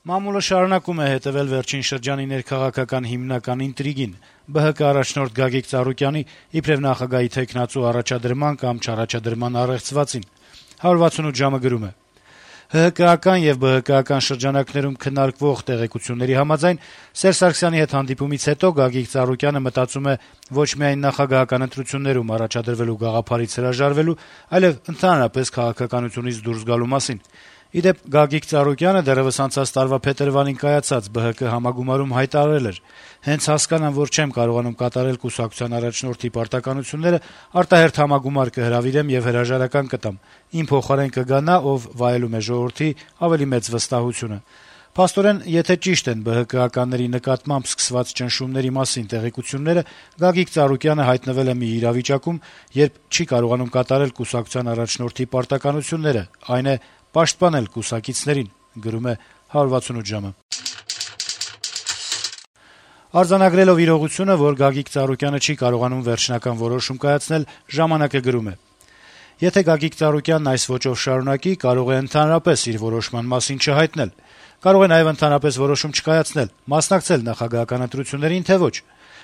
Մամուլը շարունակում է հետեւել վերջին շրջանի ներքաղաքական հիմնական ինտրիգին՝ ԲՀԿ առաջնորդ Գագիկ Ծառուկյանի իբրեւ նախագահի թեկնածու առաջադրման կամ չառաջադրման առեղծվածին։ 168 ժամը գրում է. - ՀՀԿ-ական եւ ԲՀԿ-ական շրջանակներում քննարկվող տեղեկությունների համաձայն Սերժ Սարգսյանի հետ հանդիպումից հետո Գագիկ Ծառուկյանը մտածում է ոչ միայն նախագահական ընտրություններում առաջադրվելու գաղափարից հրաժարվելու, այլեւ ընդհանրապես քաղաքականությունից դուրս գալու մասին։ Ի դեպ, Գագիկ Ծառուկյանը դեռեւս անցած տարվա փետրվարին կայացած ԲՀԿ համագումարում հայտարարել էր. «Հենց հասկանամ, որ չեմ կարողանում կատարել կուսակցության առաջնորդի պարտականությունները, արտահերթ համագումար կհրավիրեմ եւ հրաժարական կտամ։ Իմ փոխարեն կգա նա, ով վայելում է ժողովրդի ավելի մեծ վստահությունը»։ Փաստորեն, եթե ճիշտ են ԲՀԿ-ականների նկատմամբ սկսված ճնշումների մասին տեղեկությունները, Գագիկ Ծառուկյանը հայտնվել է մի իրավիճակում, երբ չի կարողանում կատարել կուսակցության առաջնորդի պարտականությունները, այն է պաշտպանել կուսակիցներին, գրում է 168 ժամը։ Արձանագրելով իրողությունը, որ Գագիկ Ծառուկյանը չի կարողանում վերջնական որոշում կայացնել, «Ժամանակ»-ը գրում է. - «Եթե Գագիկ Ծառուկյանն այս ոճով շարունակի, կարող է ընդհանրապես իր որոշման մասին չհայտնել։ Կարող է նաեւ ընդհանրապես որոշում չկայացնել, մասնակցել նախագահական ընտրություններին, թե ոչ։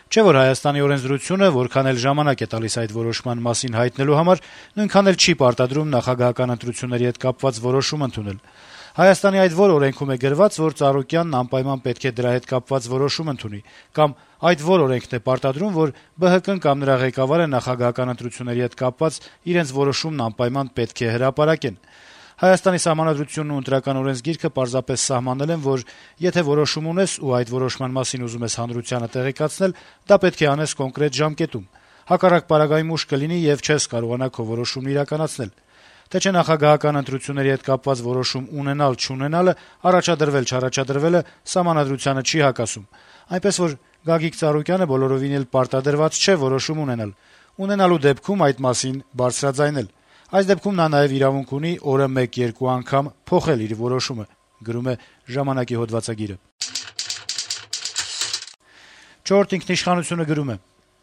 Չէ՞ որ Հայաստանի օրենսդրությունը, որքան էլ ժամանակ է տալիս այդ որոշման մասին հայտնելու համար, նույնքան էլ չի պարտադրում նախագահական ընտրությունների հետ կապված որոշում ընդունել։ Հայաստանի այդ որ օրենքում է գրված, որ Ծառուկյանն անպայման պետք է դրա հետ կապված որոշում ընդունի, կամ այդ որ օրենքն է պարտադրում, որ ԲՀԿ-ն կամ նրա ղեկավարը նախագահական ընտրությունների հետ կապված իրենց որոշումն անպայման պետք է հրապարակեն։ Հայաստանի Սահմանադրությունն ու Ընտրական օրենսգիրքը պարզապես սահմանել են, որ եթե որոշում ունես ու այդ որոշման մասին ուզում ես հանրությանը տեղեկացնել, դա պետք է անես կոնկրետ ժամկետում։ Հակառակ պարագայում ուշ կլինի եւ չես կարողանա քո որոշումն իրականացնել։ Թե չէ նախագահական ընտրությունների հետ կապված որոշում ունենալ-չունենալը, առաջադրվել-չառաջադրվելը Սահմանադրությանը չի հակասում։ Այնպես որ Գագիկ Ծառուկյանը բոլորովին էլ պարտադրված չէ որոշում ունենալ։ Ունենալու դեպքում այդ մասին բարձրաձայնել։ Այս դեպքում նա նաեւ իրավունք ունի օրը 1-2 անգամ փոխել իր որոշումը, գրում է «Ժամանակ»-ի հոդվածագիրը։ «Չորրորդ ինքնիշխանություն»-ը գրում է.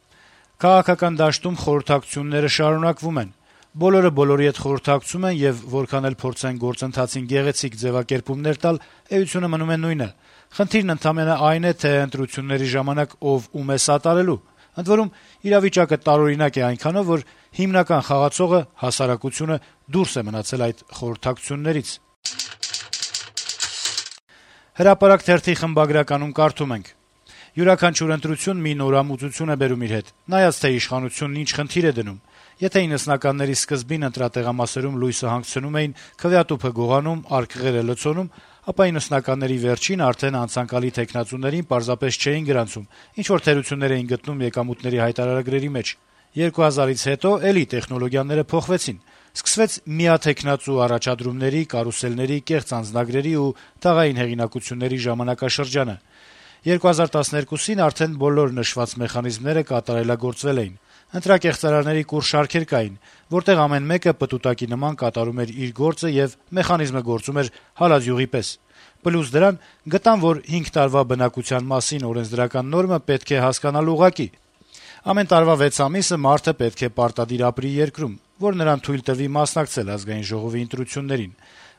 - «Քաղաքական դաշտում խորհրդակցությունները շարունակվում են։ Բոլորը բոլորի հետ խորհրդակցում են եւ որքան էլ փորձեն գործընթացին գեղեցիկ ձեւակերպումներ տալ, էությունը մնում է նույնը։ Խնդիրն ընդամենը այն է, թե ընտրությունների ժամանակ ով ում է սատարելու։ Ընդ որում, իրավիճակը տարօրինակ է այնքանով, որ հիմնական խաղացողը, հասարակությունը, դուրս է մնացել այդ խորհրդակցություններից»։ «Հրապարակ» թերթի խմբագրականում կարդում ենք. - «Յուրաքանչյուր ընտրություն մի նորամուծություն է բերում իր հետ, նայած թե իշխանությունն ինչ խնդիր է դնում։ Եթե 90-ականների սկզբին ընտրատեղամասերում լույսը հանգցնում էին, քվեատուփը գողանում, արկղերը լցոնում, ապա 90-ականների վերջին արդեն անցանկալի թեկնածուներին պարզապես չէին գրանցում, ինչ-որ թերություններ էին գտնում եկամուտների հայտարարագրերի մեջ։ 2000-ից հետո էլի տեխնոլոգիաները փոխվեցին։ Սկսվեց միաթեկնածու առաջադրումների, կարուսելների, կեղծ անձնագրերի ու թաղային հեղինակությունների ժամանակաշրջանը։ 2012-ին արդեն բոլոր նշված մեխանիզմները կատարելագործվել էին։ Ընտրակեղծարարների կուռ շարքեր կային, որտեղ ամեն մեկը պտուտակի նման կատարում էր իր գործը եւ մեխանիզմը գործում էր հալածյուղի պես։ Պլյուս դրան գտան, որ 5 տարվա բնակության մասին օրենսդրական նորմը պետք է հասկանալ ուղղակի։ Ամեն տարվա 6 ամիսը մարդը պետք է պարտադիր ապրի երկրում, որ նրան թույլ տվի մասնակցել ազգային ժողովի ընտրություններին։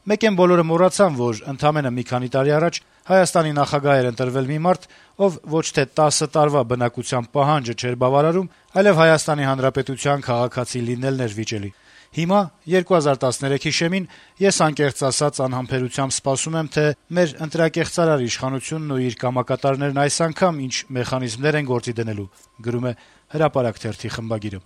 Մեկ են բոլորը մոռացան, որ ընդամենը մի քանի տարի առաջ Հայաստանի նախագահ էր ընտրվել մի մարդ, ով ոչ թե 10 տարվա բնակության պահանջը չէր բավարարում, այլև Հայաստանի Հանրապետության քաղաքացի լինելն էր վիճելի։ Հիմա 2013-ի շեմին ես անկեղծ ասած անհամբերությամբ սպասում եմ, թե մեր ընտրակեղծարար իշխանությունն ու իր կամակատարներն այս անգամ ինչ մեխանիզմներ են գործի դնելու, գրում է «Հրապարակ» թերթի խմբագիրը։